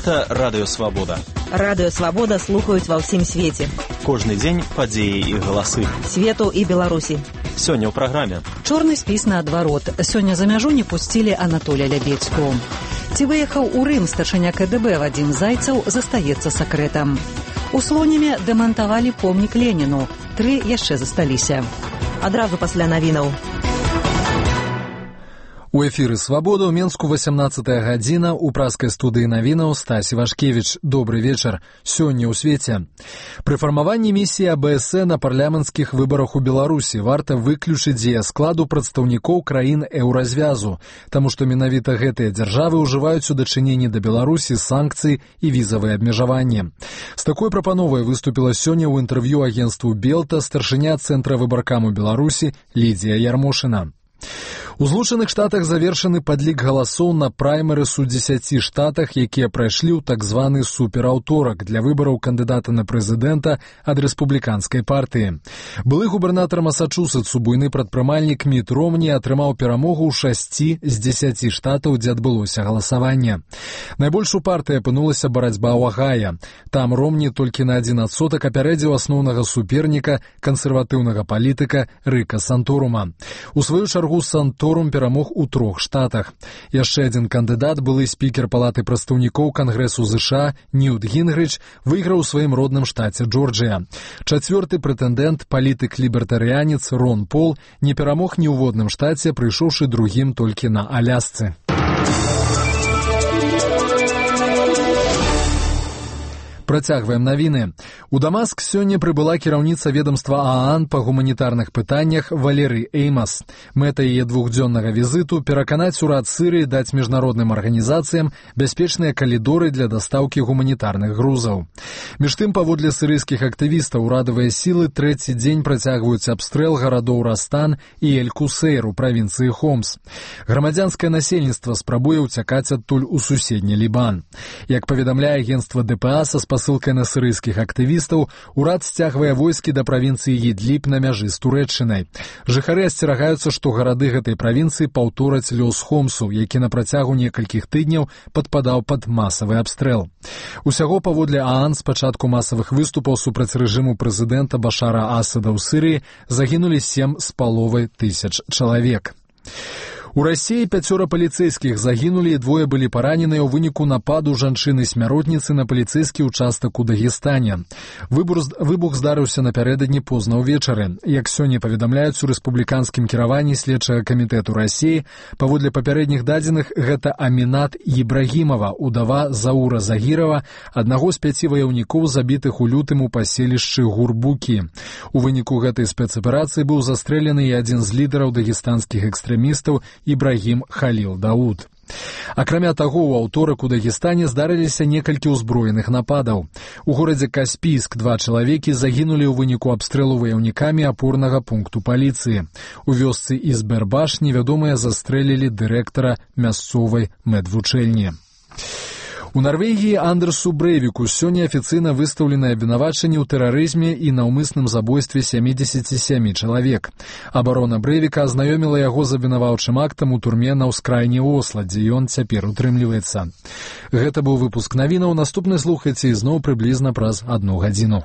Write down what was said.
Гэта Радыё Свабода. Радыё Свабода слухаюць ва ўсім свеце. Кожны дзень падзеі і галасы. Свету і Беларусі. Сёння ў праграме. Чорны спіс наадварот. Сёння за мяжу не пусцілі Анатолія Лябедзьку. Ці выехаў у Рым старшыня КДБ Вадзім Зайцаў застаецца сакрэтам. У Слонеме дэмантавалі помнік Леніну. 3 яшчэ засталіся. Адразу пасля навінаў. У эфіры «Свабода» ў Менску 18-я гадзіна, у праскай студыі навінаў Стась Івашкевіч. Добры вечар. Сёння ў свеце. Пры фармаванні місіі АБС на парламенцкіх выбарах у Беларусі варта выключыць дзеяскладу прадстаўнікоў краін еўразвязу, таму што менавіта гэтыя дзяржавы ўжываюць у дачыненні да Беларусі санкцыі і візавыя абмежаванні. З такой прапановай выступіла сёння ў інтэрв'ю агенству «Белта» старшыня Цэнтра выбаркаму Беларусі Лідзія Ярмошына. У Злучаных Штатах завершаны падлік галасоў на праймерыс у 10 штатах, якія прайшлі ў так званы супераўторак для выбараў кандыдата на прэзідэнта ад рэспубліканскай партыі. Былы губернатар Масачусетсу, буйны прадпрымальнік Міт Ромні атрымаў перамогу ў 6 з 10 штатаў, дзе адбылося галасаванне. Найбольш у партыі апынулася барацьба ў Агая. Там Ромні толькі на 1% апярэдзіў асноўнага суперніка, кансерватыўнага палітыка Рыка Санторума. У сваю чаргу Санторум перамог у 3 штатах. Яшчэ адзін кандыдат, былы спікер палаты прадстаўнікоў Кангрэсу ЗША Ньют Гінгрыч, выйграў у сваім родным штаце Джорджыя. 4-ты прэтэндэнт, палітык-лібертарыянец Рон Пол, не перамог ні ў водным штаце, прыйшоўшы другім толькі на Алясцы. Працягваем навіны. У Дамаск сёння прыбыла кіраўніца ведамства ААН па гуманітарных пытаннях Валерый Эймас. Мэта яе двухдзённага візіту пераканаць урад Сырыі даць міжнародным арганізацыям бяспечныя калідоры для дастаўкі гуманітарных грузаў. Між тым, паводле сырыйскіх актывістаў, урадавыя сілы 3-й дзень працягваюць абстрэл гарадоў Растан і Эль-Кусейр у правінцыі Хомс. Грамадзянскае насельніцтва спрабуе ўцякаць адтуль у суседні Лібан. Як паведамляе агенцтва ДПА са спасылкай на сырыйскіх актывістаў, урад сцягвае войскі да правінцыі Ідліб на мяжы з Турэччынай. Жыхары асцерагаюцца, што гарады гэтай правінцыі паўтораць лёс Хомсу, які на працягу некалькіх тыдняў падпадаў пад масавы абстрэл. Усяго паводле ААН з пачатку масавых выступаў супраць рэжыму прэзідэнта Башара Асада ў Сырыі загінулі 7,5 тысяч чалавек. У Расіі 5 паліцэйскіх загінулі і 2 былі параненыя ў выніку нападу жанчыны-смяротніцы на паліцэйскі ўчастак у Дагестане. Выбух здарыўся напярэдадні позна ўвечары. Як сёння паведамляюць у рэспубліканскім кіраванні следчага камітэту Расіі, паводле папярэдніх дадзеных, гэта Амінат Ібрагімова, удава Заура Загірава, аднаго з 5 ваяўнікоў, забітых у лютым у паселішчы Гурбукі. У выніку гэтай спецаперацыі быў застрэлены і адзін з лідараў дагестанскіх экстрэмістаў Ібрагім Халіл Дауд. Акрамя таго, у аўторак у Дагестане здарыліся некалькі ўзброеных нападаў. У горадзе Каспійск 2 чалавекі загінулі ў выніку абстрэлу ваяўнікамі апорнага пункту паліцыі. У вёсцы Ізбербаш невядомыя застрэлілі дырэктара мясцовай медвучэльні. У Нарвегіі Андерсу Брэйвіку сёння афіцыйна выстаўленае абвінавачанне ў тэрарызме і наўмысным забойстве 77 чалавек. Абарона Брэйвіка азнаёміла яго з абвінаваўчым актам у турме на ўскрайні Осла, дзе ён цяпер утрымліваецца. Гэта быў выпуск навінаў. Наступны слухайце ізноў прыблізна праз 1 гадзіну.